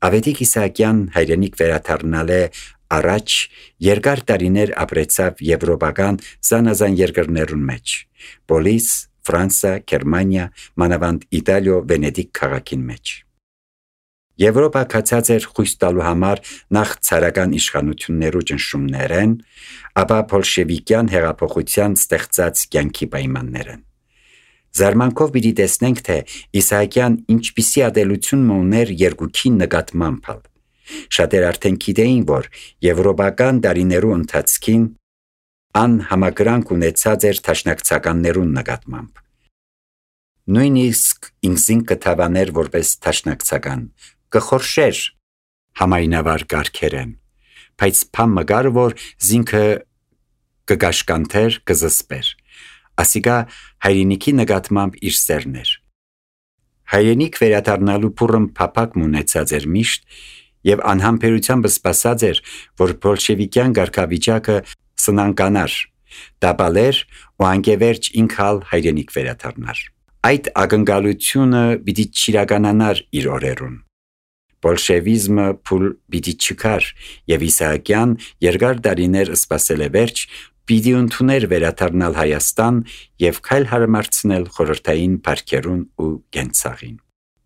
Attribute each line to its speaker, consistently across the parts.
Speaker 1: Ավետիք Իսահակյան հայրենիք վերադառնալ է առաջ երկար տարիներ ապրեցավ եվրոպական զանազան երկրներուն մեջ՝ Պոլիս, Ֆրանսա, Գերմանիա, մանավանդ Իտալիո, Վենետիկ քաղաքին մեջ։ Եվրոպա կացած էր խույս տալու համար նախ ցարական իշխանություններու ճնշումներեն, ապա բոլշևիկյան հեղափոխության ստեղծած կյանքի պայմաններեն։ Զարմանքով պիտի տեսնենք, թե Իսահակյան ինչպիսի ատելություն ուներ երկուքի նկատմամբ։ Շատեր արդեն գիտեին, որ եվրոպական տարիներու ընթացքին անհամակրանք ունեցած էր թաշնակցականներուն նկատմամբ։ Նույնիսկ ինքզին կթավաներ որպես թաշնակցական, կխորշեր համայնավար կարգերեն, բայց փամ մգար, որ զինքը կգաշկանթեր, կզսպեր, ասիկա հայրենիքի նկատմամբ իր սերն էր։ Հայրենիք վերադառնալու փուռն փափակ ունեցած էր միշտ եւ անհամբերությամբ սպասած էր, որ բոլշևիկյան ղարքավիճակը սնանկանար, դապալեր ու անկևերջ ինքալ հայրենիք վերադառնար։ Այդ ակնկալությունը պիտի չիրականանար իր օրերուն։ Բոլշևիզմը փուլ պիտի չկար եւ Իսահակյան երկար տարիներ սպասել է վերջ, պիտի ընդուներ վերադառնալ Հայաստան եւ քայլ հարմարցնել խորհրդային բարքերուն ու գենցաղին։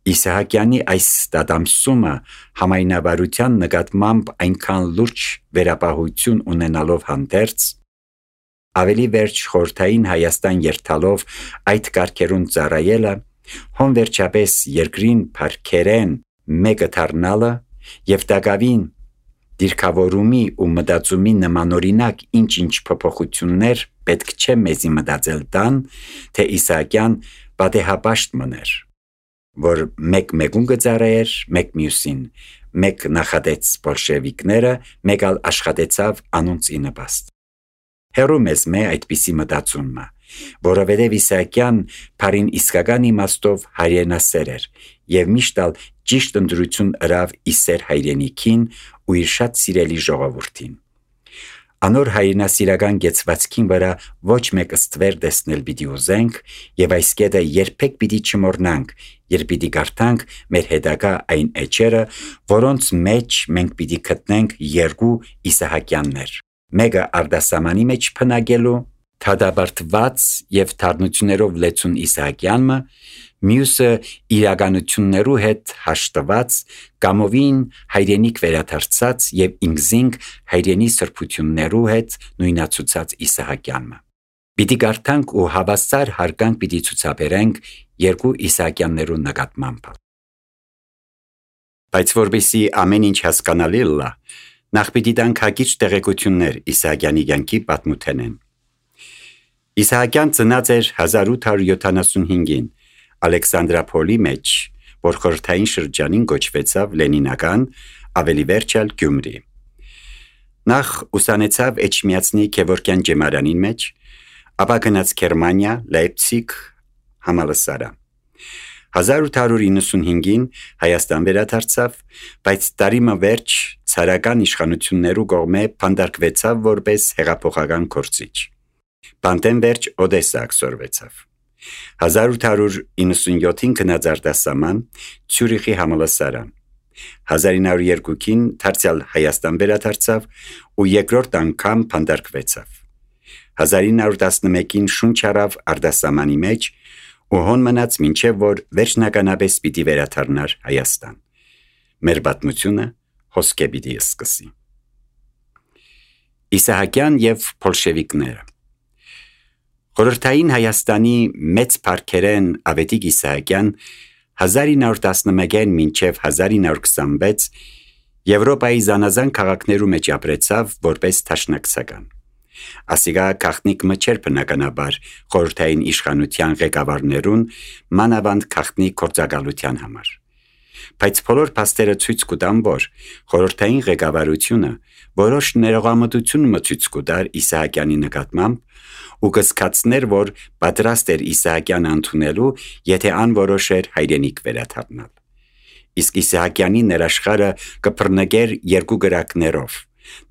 Speaker 1: Իսահակյանի այս դադամսումը համայնավարության նկատմամբ այնքան լուրջ վերապահություն ունենալով հանդերձ, ավելի վերջ խորհրդային Հայաստան երթալով այդ կարգերուն ծառայելը, հոն վերջապես երկրին բարքերեն մեկը դառնալը եւ տակավին դիրքավորումի ու մտածումի նմանօրինակ ինչ-ինչ փոփոխություններ պետք չէ մեզի մտածել տան, թե Իսահակյան պատեհապաշտ մներ, որ մեկ մեկուն կծառայեր, մեկ մյուսին, մեկ նախադեց բոլշևիկները, մեկ ալ աշխատեցավ անոնց ի նպաստ։ Հեռու մեզ մե այդպիսի մտածումը, որովհետև Իսահակյան բարին իսկական իմաստով հայրենասեր էր եւ միշտ ալ ճիշտ ընդրություն ըրավ իսեր հայրենիքին ու իր շատ սիրելի ժողովրդին։ Անոր հայրենասիրական գեցվածքին վրա ոչ մեկ ստվեր տեսնել պիտի ուզենք եւ այս կետը երբեք պիտի չմոռնանք, երբ պիտի գարտանք մեր հետագա այն էջերը, որոնց մեջ մենք պիտի գտնենք երկու Իսահակյաններ։ Մեկը արդասամանի մեջ փնագելու թադաբարտված եւ թարնություններով լեցուն Իսահակյանը, մյուսը իրականություններու հետ հաշտված, կամովին հայրենիք վերադարձած եւ ինքզինք հայրենի սրբություններու հետ նույնացուցած Իսահակյանը։ Պիտի գարտանք ու հավասար հարգանք պիտի ցուցաբերենք երկու Իսահակյաններու նկատմամբ։ Բայց որպեսզի ամեն ինչ հասկանալի լա, նախ պիտի տանք հակիրճ տեղեկություններ Իսահակյանի կյանքի պատմութենեն։ Իսահակյան ծնած էր 1875-ին Ալեքսանդրապոլի մեջ, որ խորհրդային շրջանին կոչվեցավ Լենինական, ավելի վերջալ Գյումրի։ Նախ ուսանեցավ Էջմիածնի Գևորգյան ջեմարանին մեջ, ապա գնաց Գերմանիա, Լեյպցիգ համալսարան։ 1895-ին Հայաստան վերադարձավ, բայց տարիմը վերջ ցարական իշխանություններու կողմէ փանդարկվեցավ որպես հեղափոխական գործիչ։ Բանտեն վերջ Օդեսա ակսորվեցավ։ 1897-ին գնաց արտասահման Ցյուրիխի համալսարան։ 1902-ին դարձյալ Հայաստան վերադարձավ ու երկրորդ անգամ փանդարկվեցավ։ 1911-ին շունչ առավ արտասահմանի մեջ ու հոն մնաց մինչև որ վերջնականապես պիտի վերադառնար Հայաստան։ Մեր պատմությունը հոսք է պիտի սկսի։ Իսահակյան եւ բոլշևիկները։ Խորհրդային Հայաստանի մեծ փառքերեն Ավետիք Իսահակյան 1911-ին մինչև 1926 Եվրոպայի զանազան քաղաքներու մեջ ապրեցավ որպես թաշնակցական։ Ասիկա քաղտնիկ մը չէր բնականաբար խորհրդային իշխանության ղեկավարներուն, մանավանդ քաղտնի գործակալության համար։ Բայց բոլոր փաստերը ցույց կտան, որ խորհրդային ղեկավարությունը որոշ ներողամտություն մցույց կտար Իսահակյանի նկատմամբ ու կսկացներ, որ պատրաստ էր Իսահակյանը ընդունելու, եթե անորոշեր հայրենիք վերադառնալ։ Իսկ Իսահակյանի ներաշխարը կփռնգեր երկու գրակներով.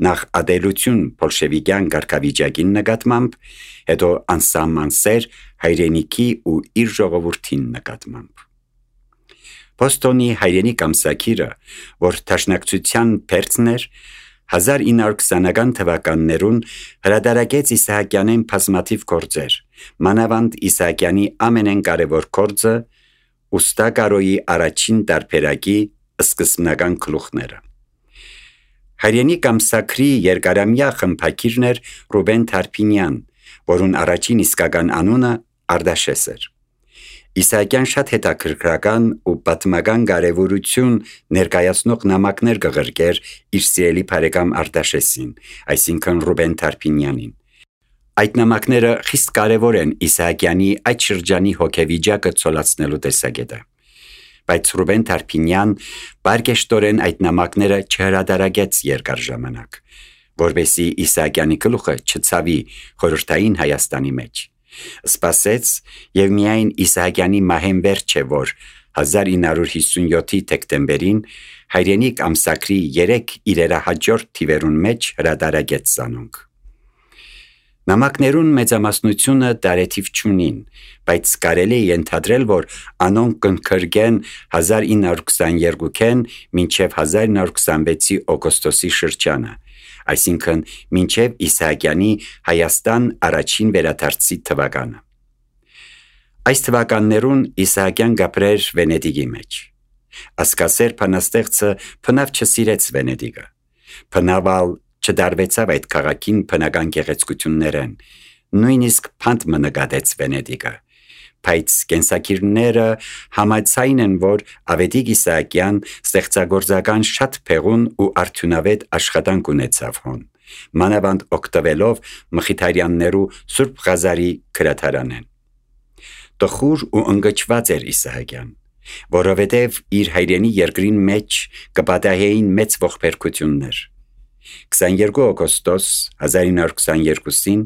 Speaker 1: նախ ադելություն բոլշևիկյան ղարքավիճակին նկատմամբ, հետո անսահման սեր հայրենիքի ու իր ժողովրդին նկատմամբ։ Բոստոնի հայրենիք ամսագիրը, որ դաշնակցության փերձն էր, 1920-ական թվականներուն հրատարակեց Իսահակյանեն բազմաթիվ գործեր, մանավանդ Իսահակյանի ամենակարևոր գործը Ուստա Կարոյի առաջին տարբերակի սկզբնական գլուխները։ Հայրենիք ամսագրի երկարամյա խմբագիրն էր Ռուբեն Թարփինյան, որուն առաջին իսկական անունը Արդաշես էր։ Իսահակյան շատ հետաքրքրական ու պատմական կարևորություն ներկայացնող նամակներ կղրկեր իր սիրելի բարեկամ Արդաշեսին, այսինքն Ռուբեն Թարփինյանին։ Այդ նամակները խիստ կարևոր են Իսահակյանի այդ շրջանի հոգեվիճակը ցոլացնելու տեսակետը։ Բայց Ռուբեն Թարփինյան բարգեշտորեն այդ նամակները չհրատարակեց երկար ժամանակ, որովհետեւ Իսահակյանի գլուխը չցավի խորհրդային Հայաստանի մեջ։ Սպասեց եւ միայն Իսահակյանի մահեն վերջ է, որ 1957-ի դեկտեմբերին հայրենիք ամսագրի 3 իրերահաջորդ թիվերուն մեջ հրատարակեց զանոնք։ Նամակներուն մեծամասնությունը տարեթիվ չունին, բայց կարելի է ենթադրել, որ անոնք կընկրկեն 1922-ին մինչև 1926-ի օգոստոսի շրջանը, այսինքն մինչև Իսահակյանի Հայաստան առաջին վերադարձի թվականը։ Այս թվականներուն Իսահակյան գապրեր Վենեդիգի մեջ։ Ասկասեր փանաստեղծը փնավ չսիրեց Վենեդիգը։ Փնավալ չդարվեցավ այդ քաղաքին բնական գեղեցկություններեն, նույնիսկ փանդ մնկատեց Վենեդիգը, բայց կենսակիրները համաձայն են, որ Ավետիք Իսահակյան ստեղծագործական շատ փեղուն ու արդյունավետ աշխատանք ունեցավ հոն, մանավանդ օգտվելով Մխիթարյաններու Սուրբ Ղազարի գրադարանեն։ Տխուր ու ընկճված էր Իսահակյան, որովհետև իր հայրենի երկրին մեջ կպատահեին մեծ ողբերգություններ։ 22 օգոստոս 1922-ին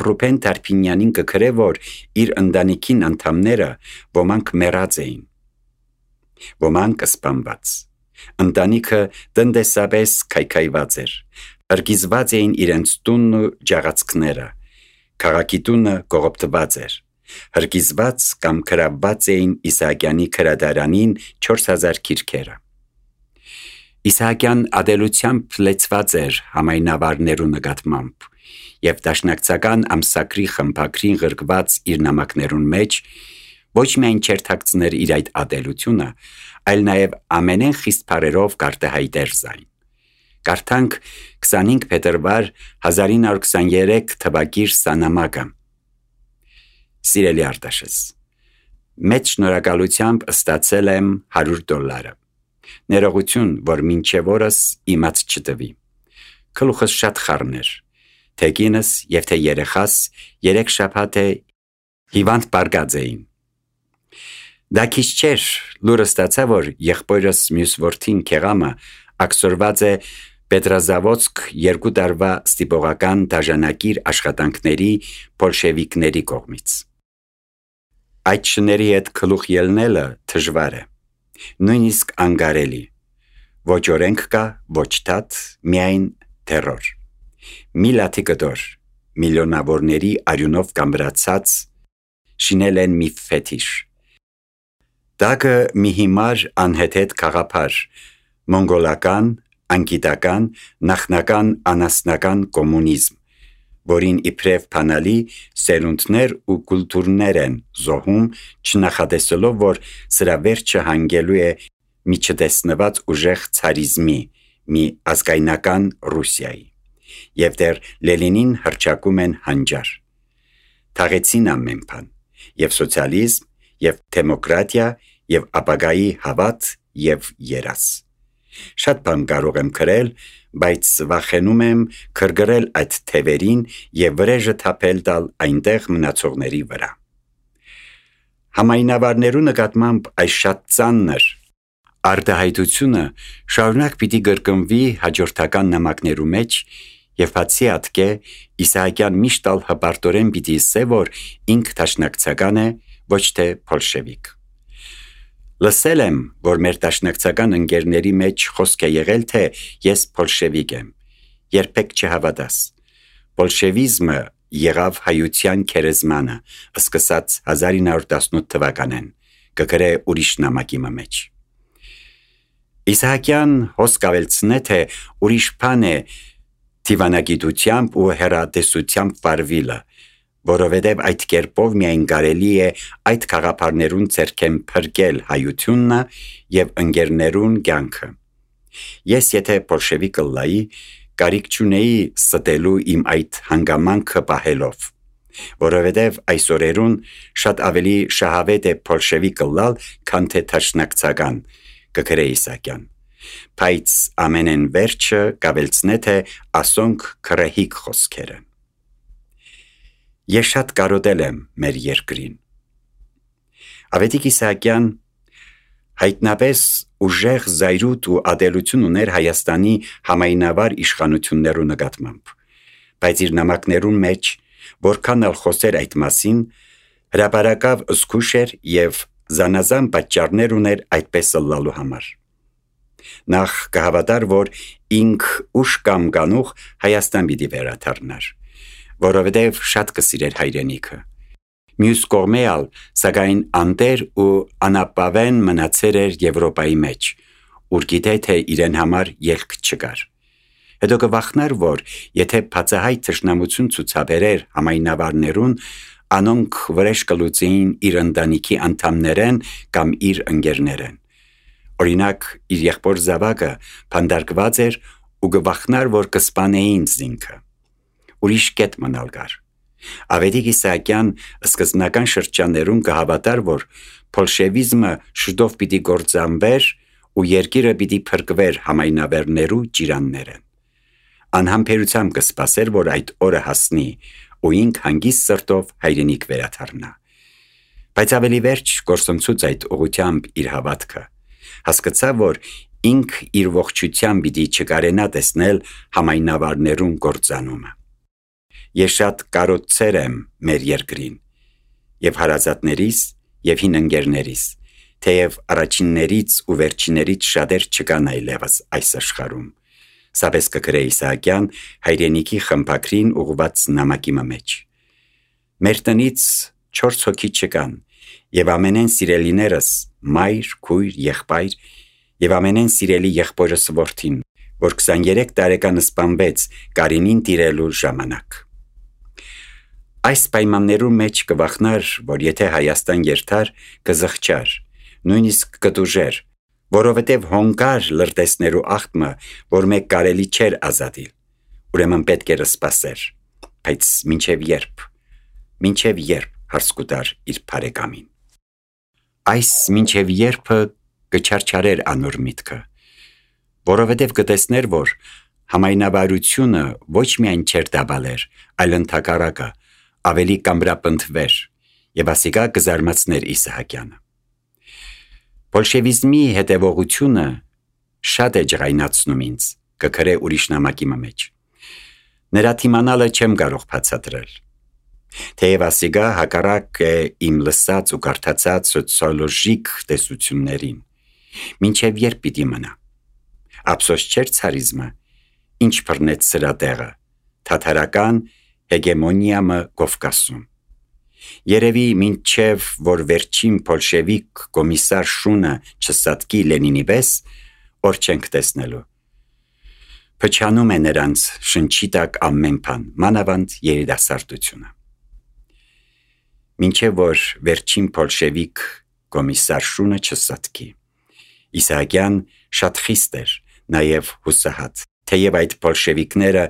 Speaker 1: Ռուբեն Թարփինյանին կգրե, որ իր ընտանիքին անդամները ոմանք մեռած էին, ոմանք սպանված։ Ընտանիքը տնտեսապես քայքայված էր, ըրգիզված էին իրենց տունն ու ջաղացքները, քաղաքի տունը կողոպտված էր, հրգիզված կամ գրավված էին Իսահակյանի գրադարանին 4000 գիրքերը։ Իսահակյան ադելությամբ լեցված էր համայնավարներու նկատմամբ եւ դաշնակցական ամսագրի խմբագրին գրկված իր նամակներուն մեջ ոչ միայն չերթակցներ իր այդ ադելությունը, այլ նաեւ ամենեն խիստ բարերով կարտահայտեր զայն։ Կարդանք 25 փետրվար 1923 թվակիր սանամակը։ Սիրելի Արդաշես, մեծ շնորհակալությամբ ստացել եմ $100։ Ներողություն, որ մինչև օրս իմաց չտվի։ Գլուխս շատ խառն էր, թե կինս եւ թե երեխաս 3 շաբաթ է հիվանդ պարգած էին։ Դա քիչ չէր, լուրը ստացա, որ եղբորս մյուս որդին Քեղամը ակսորված է Պետրազավոդսկ 2 տարվա ստիպողական դաժանակիր աշխատանքների բոլշևիկների կողմից։ Այդ շների հետ գլուխ ելնելը դժվար է, նույնիսկ անգարելի։ Ոչ օրենք կա, ոչ դատ, միայն տերոր։ Մի լաթի կտոր, միլիոնավորների արյունով կամրացած, շինել են մի ֆետիշ։ Դակը մի հիմար անհեթեթ քաղաքար, մոնգոլական, անգիտական, նախնական անասնական կոմունիզմ, որին իբրև փանալի սերունդներ ու կուլտուրներ են զոհում, չնախադեսելով, որ սրա վերջը հանգելու է մի չտեսնված ուժեղ ցարիզմի, մի ազգայնական Ռուսիայի, եւ դեռ Լենինին հռչակում են հանճար։ Թաղեցին ամեն բան, եւ սոցիալիզմ, եւ դեմոկրատիա, եւ ապագայի հավատ եւ երաս։ Շատ բան կարող եմ գրել, բայց վախենում եմ քրգրել այդ թևերին եւ վրեժը թափել տալ այնտեղ մնացողների վրա։ Համայնավարներու նկատմամբ այս շատ ծանր արտահայտությունը շարունակ պիտի կրկնվի հաջորդական նամակներու մեջ եւ բացի ատկե Իսահակյան միշտ ալ հպարտորեն պիտի ասե, որ ինք դաշնակցական է, ոչ թե բոլշևիկ։ Լսել եմ, որ մեր դաշնակցական ընկերների մեջ խոսք է եղել, թե ես բոլշևիկ եմ, երբեք չհավատաս։ Բոլշևիզմը եղավ հայության քերեզմանը, սկսած 1918 թվականին, կգրե ուրիշ նամակի մեջ։ Իսահակյան հոսք ավելցնե թե ուրիշ բան է դիվանագիտությամբ ու հեռատեսությամբ վարվիլը, որովհետև այդ կերպով միայն կարելի է այդ խաղապարներուն ձեռքեն փրկել հայություննը և ընկերներուն կյանքը։ Ես եթե բոլշևիկ ըլլայի, կարիք չունեի ստելու իմ այդ հանգամանքը պահելով, որովհետև այս օրերուն շատ ավելի շահավետ է բոլշևիկ ըլլալ, քան թե թաշնակցական, կգրե Իսահակյան, բայց ամենեն վերջը կավելցնե թե ասոնք քրեհիկ խոսքերը։ Ես շատ կարոտել եմ մեր երկրին։ Ավետիք Իսահակյան հայտնապես ուժեղ զայրույթ ու ադելություն ուներ Հայաստանի համայնավար իշխանություններու նկատմամբ, բայց իր նամակներուն մեջ, որքան ալ խոսեր այդ մասին, հրապարակավ զգուշ էր և զանազան պատճառներ ուներ այդպես ըլլալու համար։ Նախ կհավատար, որ ինք ուշ կամ կանուխ Հայաստան պիտի վերադառնար, որովհետև շատ կսիրեր հայրենիքը։ Մյուս կողմէ ալ, սակայն անտեր ու անապավեն մնացեր էր Եվրոպայի մեջ, ուր գիտե թե իրեն համար ելք չկար։ Հետո կվախնար, որ եթե բացահայտ թշնամություն ցուցաբերեր համայնավարներուն, անոնք վրեժ կլուծեին իր ընտանիքի անդամներեն կամ իր ընկերներեն։ Օրինակ, իր եղբոր զավակը փանդարկված էր ու կվախնար, որ կսպանեին զինքը։ Ուրիշ կետ մնալ կար։ Ավետիք Իսահակյան սկզբնական շրջաններում կհավատար, որ բոլշևիզմը շուտով պիտի գործանվեր ու երկիրը պիտի փրկվեր համայնավերներու ջիրաններեն։ Անհամբերությամբ կսպասեր, որ այդ օրը հասնի ու ինք հանգիստ սրտով հայրենիք վերադառնա։ Բայց ավելի վերջ գործընծուց այդ ուղղությամբ իր հավատքը, հասկացավ, որ ինք իր ողջությամբ պիտի չկարենա տեսնել համայնավարներուն գործանումը։ Ես շատ կարոտցեր եմ մեր երկրին, և հարազատներիս, և հին ընկերներիս, թեև առաջիններից ու վերջիներից շատեր չկան այլևս այս աշխարհում, սապես կգրե Իսահակյան հայրենիքի խմբագրին ուղղված նամակի մեջ։ Մեր տնից 4 հոգի չկան, և ամենեն սիրելիներս մայր, քույր, եղբայր, և ամենեն սիրելի եղբորս որդին, որ 23 տարեկան սպանվեց Կարինին տիրելու ժամանակ։ Այս պայմաններու մեջ կվախնար, որ եթե Հայաստան երթար, կզղջար, նույնիսկ կտուժեր, որովհետև հոնկար լրտեսներու աղտմը, որ մեկ կարելի չէր ազատիլ, ուրեմն պետք էր սպասեր, բայց մինչև երբ հարց կուտար իր բարեկամին։ Այս մինչև երբը կչարչարեր անոր միտքը, որովհետև կտեսներ, որ համայնավարությունը ոչ միայն չէր դաբալեր, այլ ընդհակառակը ավելի կամրապնդվեր, և ասիկա կզարմացներ Իսահակյանը։ Բոլշևիզմի հետևողությունը շատ է ջղայնացնում ինձ, կգրե ուրիշ նամակի մեջ։ Նրա թիմանալը չեմ կարող բացատրել։ Թեև ասիկա հակառակ է իմ լսած ու կարդացած սոցիոլոգիկ տեսություններին, մինչև երբ պիտի մնա։ Ափսոս չէր ցարիզմը, ինչ բռնեց սրա տեղը, թաթարական հեգեմոնիամը Կովկասում։ Երևի մինչև որ վերջին բոլշևիկ կոմիսար շունը չսատկի Լենինի պես, որ չենք տեսնելու։ Փչանում է նրանց շնչի տակ ամեն բան, մանավանդ երիտասարդությունը։ Մինչև որ վերջին բոլշևիկ կոմիսար շունը չսատկի։ Իսահակյան շատ խիստ էր, նաև հուսահատ, թեև այդ բոլշևիկները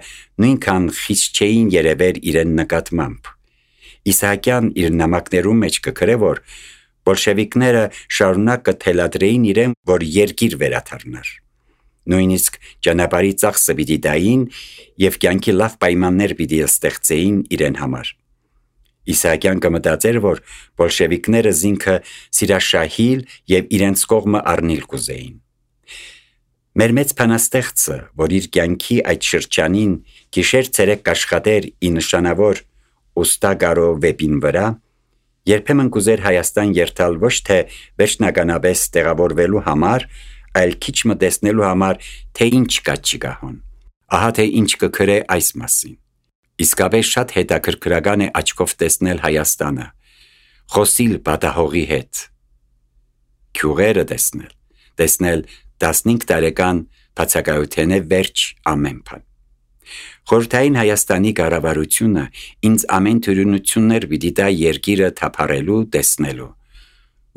Speaker 1: նույնքան խիստ չէին երևեր իրեն նկատմամբ։ Իսահակյան իր նամակներում մեջ կգրե, որ բոլշևիկները շարունակ կթելադրեին իրեն, որ երկիր վերադառնար։ Նույնիսկ ճանապարհի ծախսը պիտի տային և կյանքի լավ պայմաններ պիտի ստեղծեին իրեն համար։ Իսահակյան կմտածեր, որ բոլշևիկները զինքը սիրաշահիլ և իրենց կողմը առնիլ կուզեին։ Մեր մեծ բանաստեղծը, որ իր կյանքի այդ շրջանին գիշեր-ցերեկ կաշխատեր ի նշանավոր ուստագարո վեպին վրա, երբեմն կուզեր Հայաստան երթալ ոչ թե վերջնականապես տեղավորվելու համար, այլ քիչ մտեսնելու համար, թե ինչ կա չկահոն։ Ահա թե ինչ կգրե այս մասին։ Իսկապես շատ հետաքրքրական է աչքով տեսնել Հայաստանը, խոսիլ պատահողի հետ, գյուղերը տեսնել 15 տարեկան բացակայության է վերջ ամեն բան։ Խորհրդային Հայաստանի կառավարությունը ինձ ամեն թյուրություններ պիտի տա երկիրը թափառելու, տեսնելու,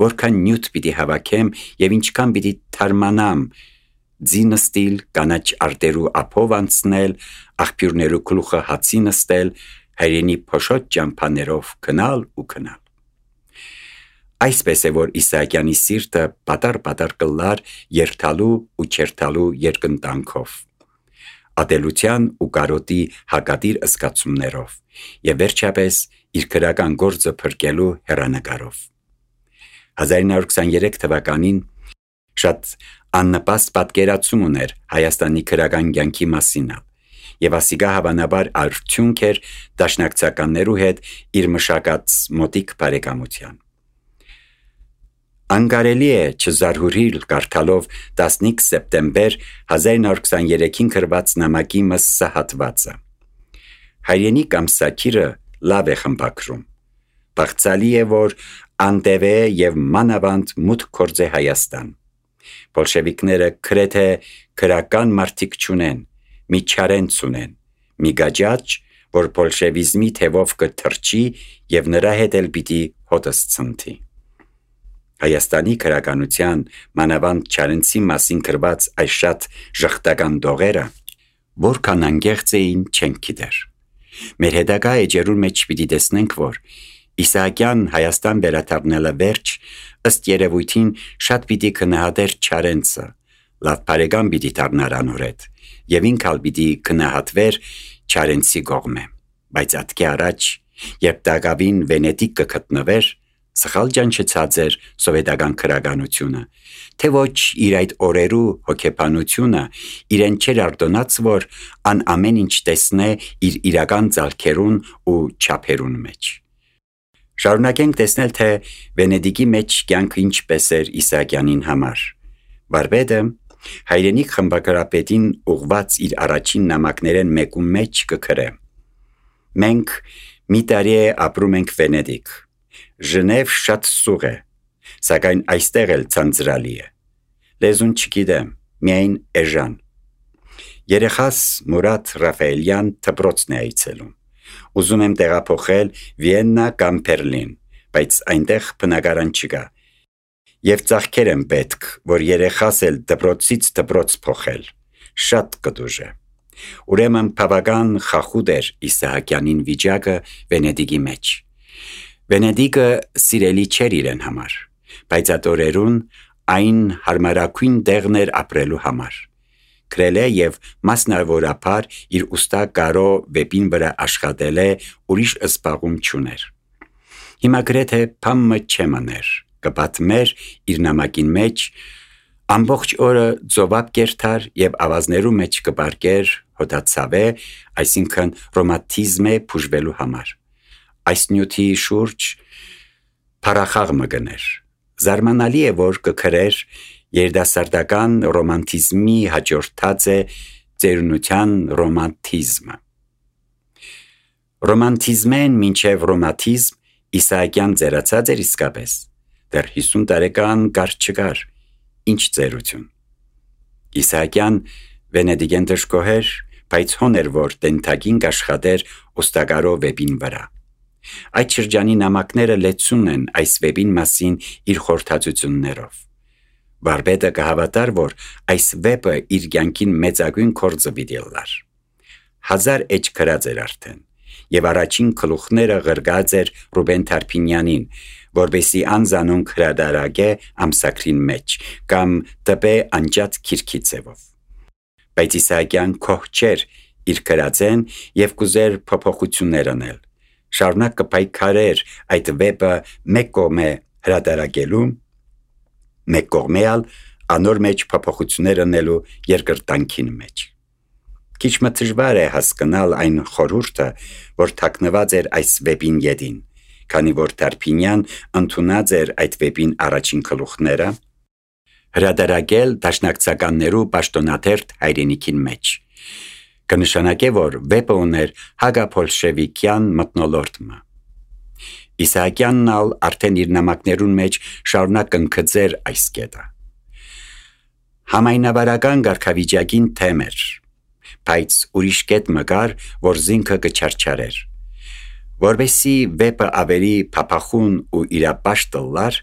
Speaker 1: որքան նյութ պիտի հավաքեմ եւ ինչքան պիտի թարմանամ, ձինստիլ, կանաչ արտերու ափով անցնել, աղբյուրներու գլուխը հացի նստել, հայրենի փոշոտ ճամփաներով գնալ ու գնալ։ Այսպես է, որ Իսահակյանի սիրտը պատար կլար երթալու ու չերթալու երկընտանքով, ատելության ու կարոտի հակադիր զգացումներով եւ վերջապես իր քրական գործը փրկելու հեռանկարով։ 1923 թվականին շատ աննպաստ պատկերացում ուներ Հայաստանի քրական կյանքի մասին եւ ասիգա հավանաբար արդյունք էր դաշնակցականներու հետ իր մշակած մոտիկ բարեկամության։ Անկարելի է չզարհուրիլ կարդալով 15 սեպտեմբեր 1923-ին գրված նամակի մսահատվածը։ Հայրենի կամսակիրը լավ է խմբակրում։ Բաղձալի է, որ անտևե եւ մանավանդ մուտք գործ է Հայաստան։ Բոլշևիկները գրեթե քրական մարդիկ չունեն, մի չարենց ունեն, մի գաջաճ, որ բոլշևիզմի թևով կթրջի եւ նրա հետ էլ պիտի հոտս ցնցի։ Հայաստանի քրականության մանավանդ չարենցի մասին գրված այս շատ ժխտական դողերը, որքան անգեղծ էին չենք գիտեր։ Մեր հետագա էջերու մեջ պիտի տեսնենք, որ Իսահակյան Հայաստան վերադառնալը վերջ ըստ երևույթին շատ պիտի քնահատեր չարենցը, լավ բարեկամ պիտի դառնար անոր հետ, եւ ինքալ պիտի քնահատվեր չարենցի կողմը, բայց ատկի առաջ, երբ դակավին Վենետիկ կգտնվեր, սխալ ճանչեցած էր սովետական քրականությունը, թե ոչ իր այդ օրերու հոգեբանությունը իրեն չեր արտոնած, որ ան ամեն ինչ տեսնե իր իրական ձալքերուն ու չափերուն մեջ։ Շարունակենք տեսնել, թե Վենետիկի մեջ կյանքը ինչպես էր Իսահակյանին համար։ Վարպետը հայրենիք խմբագրապետին ուղված իր առաջին նամակներեն մեկում մեջ կգրե. Մենք մի տարի է ապրում ենք Վենետիկ։ Ժնև շատ սուղ է, սակայն այստեղ էլ ցանցրալի է։ Լեզուն չգիտեմ, միայն էժան։ Երեխաս Մուրադ Ռաֆայելյան դպրոցն է այցելում։ Ուզում եմ տեղափոխել Վիեննա կամ Բերլին, բայց այնտեղ բնակարան չկա։ Եվ ծախքեր եմ պետք, որ երեխաս էլ դպրոցից դպրոց փոխել։ Շատ կդուժ է։ Ուրեմն բավական խախուտ էր Իսահակյանին վիճակը Վենետիկի մեջ։ Վենետիկը սիրելի չէր իրեն համար, բայց այդ օրերուն այն հարմարակույն տեղն էր ապրելու համար։ Գրել է եւ մասնավորապես իր ուստա կարո վեպին վրա աշխատել է, ուրիշ զբաղում չուներ։ Հիմա գրեթե փամը չեմաներ, կպատմեր իր նամակին մեջ, ամբողջ օրը ծովապ կերթար եւ ավազներու մեջ կպարկեր հոտացավե, այսինքն ռոմանտիզմը փուժվելու համար։ Այս նյութի շուրջ փարախաղ մգներ։ Զարմանալի է, որ կգրեր երդասարտական ռոմանտիզմի հաջորդած է ծերունության ռոմանտիզմը։ Ռոմանտիզմեն մինչև ռոմանտիզմ Իսահակյան ծերացած էր իսկապես, դեռ 50 տարեկան կար չկար, ինչ ծերություն։ Իսահակյան Վենետիկեն դժգոհեր, բայց հոներ, որ տենթակին կաշխատեր ոստակարո վեպին վրա։ Այդ շրջանի նամակները լեցուն են այս վեպին մասին իր խորհրդածություններով։ Վարպետը կհավատար, որ այս վեպը իր կյանքին մեծագույն գործը պիտի լար։ 1000 էջ գրած էր արդեն, եւ առաջին գլուխները գրգած էր Ռուբեն Թարփինյանին, որբեսի անզանոնք հրադարագե ամսակրին մեջ կամ տպե անջատ քիրքի ձևով։ Բայց Իսահակյան քոհ չէր իր գրածեն եւ կուզեր փոփոխություններ անել։ Շարունակ կպայքարեր այդ վեպը մեկ կողմը հրադարագելու, մեկ կողմեալ անոր մեջ փոփոխություններ անելու երկրտանքին մեջ։ Քիչ մը դժվար է հասկանալ այն խորհուրդը, որ թաքնված էր այս վեպին յետին, քանի որ Թարփինյան ընդունած էր այդ վեպին առաջին գլուխները, հրադարագել դաշնակցականներու պաշտոնաթերթ հայրենիքին մեջ։ Կնշանակե, որ վեպը ուներ հագապոլշևիկյան մթնոլորտը։ Իսահակյանն ալ արդեն իր նամակներուն մեջ շարունակ ընկծեր այս կետը։ Համայնավարական գարքավիճակին թեմ էր, բայց ուրիշ կետ մգար, որ զինքը կչարչարեր։ Որբեսի վեպը ավելի փափախուն ու իրապաշտ լար,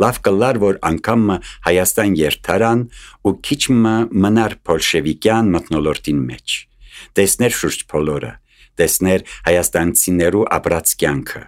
Speaker 1: լավ կլար, որ անգամ Հայաստան երթարան ու քիչ մնար բոլշևիկյան մթնոլորտին մեջ, տեսներ շուրջ բոլորը, տեսներ հայաստանցիներու ապրած կյանքը,